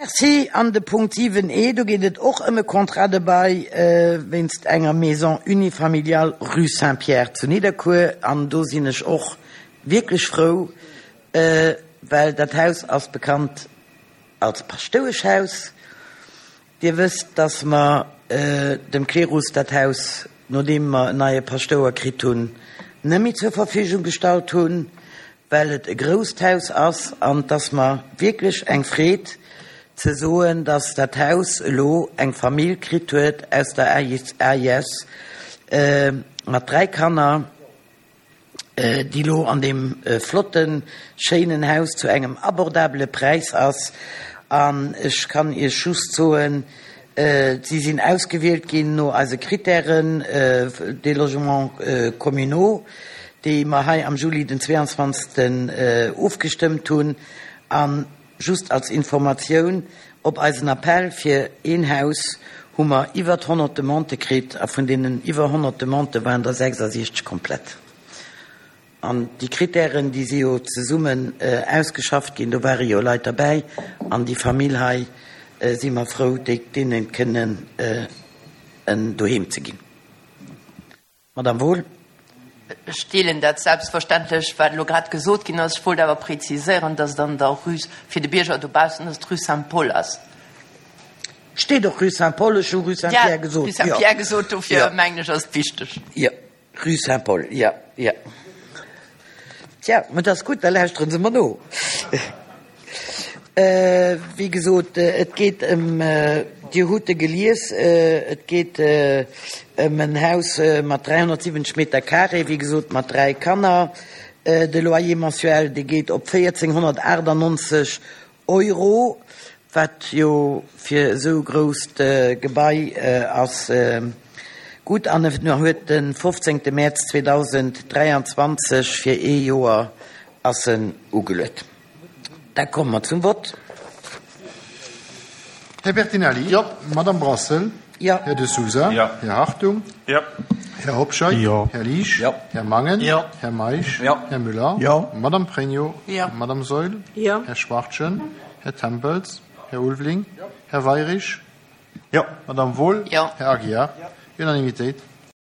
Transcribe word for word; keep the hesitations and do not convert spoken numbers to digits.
Merci. An de Punkt siwen E, do geet et och ëm e Contrat de bail wéinst enger Maison unifamiliale rue Saint-Pierre zu Nidderkuer. An do sinn ech och wierklech frou, well dat Haus ass bekannt als Paschtoueschhaus. Dir wësst, dass mer dem Klerus dat Haus, nodeem mer en neie Paschtouer kritt hunn, net méi zur Verfügung gestallt hunn, well et e grousst Haus ass. An et ass mer wierklech eng Freed ze soen, dass dat Haus elo eng Famill kritt huet aus der A I S mat dräi Kanner, déi elo an deem flotten, schéinen Haus zu engem abordabele Präis ass. An ech kann Iech just soen, si sinn ausgewielt ginn no eise Kritären des logements communaux, déi mer hei am Juli den zweiundzwanzegsten ofgestëmmt hunn. An just als Informatioun, op eisen Appell fir een Haus hu mer iwwer honnert Demandë kritt, a vun deenen iwwer honnert Demandë waren der sechsasiechzeg komplett. An déi Kritären, déi si jo zesummen ausgeschafft ginn, do ware jo Leit derbäi, an déi Famill hei si mer frou, déi deene kënnen en Doheem ze ginn. Madame Wohl. Ech deelen dat selbstverständlech, wat elo grad gesot ginn ass. Ech wollt awer präziséieren, dass et an der Rue, fir de Bierger dobaussen, dass et d'Rue Saint-Paul ass. Steet och Rue Saint-Paul, ech hu Rue Saint-Pierre gesot. Rue Saint-Pierre gesot, dofir mengen ech ass et wichteg. Jo, Rue Saint-Paul, jo, jo. Tja, mä dat ass gutt, da lauschteren se mer no. Wéi gesot, et geet ëm, Dir hutt e gelies, et geet ëm en Haus mat dräihonnertsiwwenzeg Meter carré, wéi gesot mat dräi Kanner. De Loyer mensuel, dee geet op véierzehnhonnertaachtannonzeg Euro, wat jo fir esou grousst Gebai ass gutt. An en huet de fofzéngte Mäerz zweedausenddräianzwanzeg fir ee Joer ass en ugeluet. Da komme mer zum Vott. Här Bertinelli. Jo. Madame Brassel. Jo. Här De Sousa. Jo. Här Hartung. Jo. Här Hobscheit. Jo. Här Liesch. Jo. Här Mangen. Jo. Här Meisch. Jo. Här Müller. Jo. Madame Pregno. Jo. Madame Saeul. Jo. Här Schwachtgen. Här Tempels. Här Ulveling. Jo. Här Weyrich. Jo. Madame Wohl. Jo. Här Aguiar. Unanimitéit.